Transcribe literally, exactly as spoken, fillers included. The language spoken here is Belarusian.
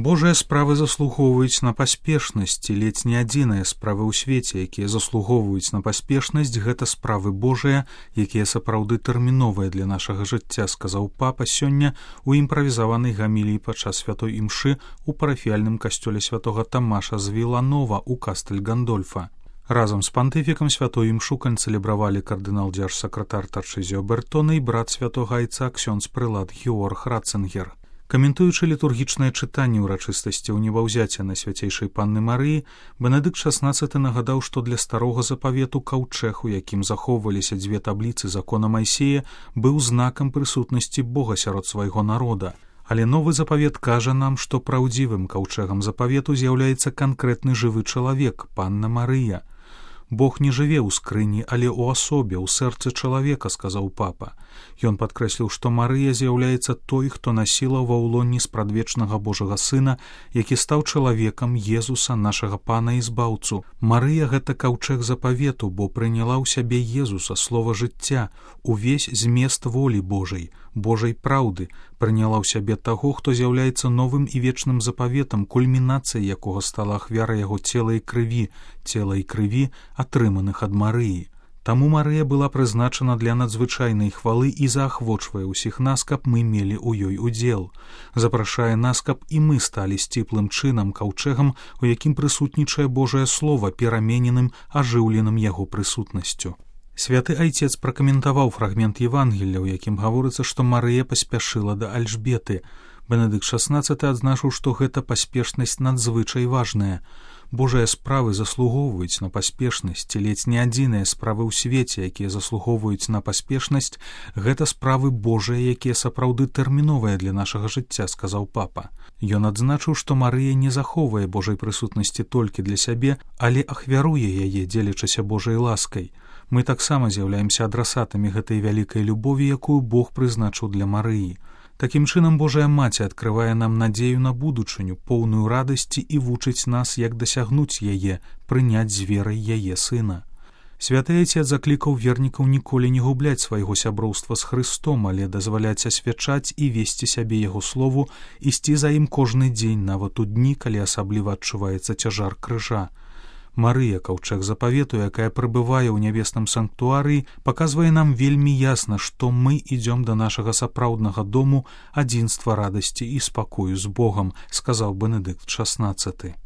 Божыя справы заслугоўваюць на паспешнасць, і ледзь не адзіныя справы ў свеце, якія заслугоўваюць на паспешнасць, гэта справы Божыя, якія сапраўды тэрміновыя для нашага жыцця, сказаў папа сёння у імправізаванай гаміліі падчас святой імшы ў парафіяльным касцёле святога Тамаша з Віланова ў Кастэль-Гандольфа. Разам з пантыфікам святой імшу канцэлебравалі кардынал-дзяржсакратар Тарчызіо Бертона і брат святога айца ксёндз-прылад Георг Ратцынгер. Каментуючы літургічнае чытанне ўрачыстасці ў небаўзяцця на свяцейшай Панны Марыі, Бенедыкт шаснаццаты нагадаў, што для старога запавету каўчэг, у якім захоўваліся дзве табліцы закона Майсея, быў знакам прысутнасці Бога сярод свайго народа. Але новы запавет кажа нам, што праўдзівым каўчэгам запавету з'яўляецца канкрэтны жывы чалавек, Панна Марыя. Бог не жыве ў скрыні, але ў асобе, ў сэрцы чалавека, сказаў папа. Ён падкрэсліў, што Марыя з'яўляецца той, хто насіла ва ўлонні спрадвечнага Божага Сына, які стаў чалавекам Езуса, нашага Пана і Збаўцу. Марыя — гэта каўчэг запавету, бо прыняла ў сябе Езуса, слова жыцця, увесь змест волі Божай, Божай праўды, прыняла ў сябе таго, хто з'яўляецца новым і вечным запаветам, кульмінацыяй якога стала ахвяра яго цела і крыві, цела і крыві, атрыманых ад Марыі. Таму Марыя была прызначана для надзвычайнай хвалы і заахвочвае ўсіх нас, каб мы мелі ў ёй удзел. Запрашае нас, каб і мы сталі сціплым чынам, каўчэгам, у якім прысутнічае Божае Слова, перамененым, ажыўленым яго прысутнасцю. Святы айцец пракаментаваў фрагмент Евангелля, у якім гаворыцца, што Марыя паспяшыла да Альжбеты. Бенедыкт шаснаццаты адзначыў, што гэта паспешнасць надзвычай важная. Божыя справы заслугоўваюць на паспешнасць, ці ледзь не адзіныя справы ў свеце, якія заслугоўваюць на паспешнасць, гэта справы Божыя, якія сапраўды тэрміновыя для нашага жыцця, сказаў папа. Ён адзначыў, што Марыя не захоўвае Божай прысутнасці толькі для сябе, але ахвяруе яе, дзелячыся Божай ласкай. Мы таксама з'яўляемся адрасатамі гэтай вялікай любові, якую Бог прызначыў для Марыі. Такім чынам Божая Маці адкрывае нам надзею на будучыню, поўную радасці і вучыць нас, як дасягнуць яе, прыняць з верай яе сына. Святы айцец заклікаў вернікаў ніколі не губляць свайго сяброўства з Хрыстом, але дазваляць асвячаць і весці сябе яго слову, ісці за ім кожны дзень, нават у дні, калі асабліва адчуваецца цяжар крыжа. Марыя, каўчэг запавету, якая прыбывае ў нябесным санктуарыі, паказвае нам вельмі ясна, што мы ідзём да нашага сапраўднага дому, адзінства радасці і спакою з Богам, сказаў Бенедыкт шаснаццаты.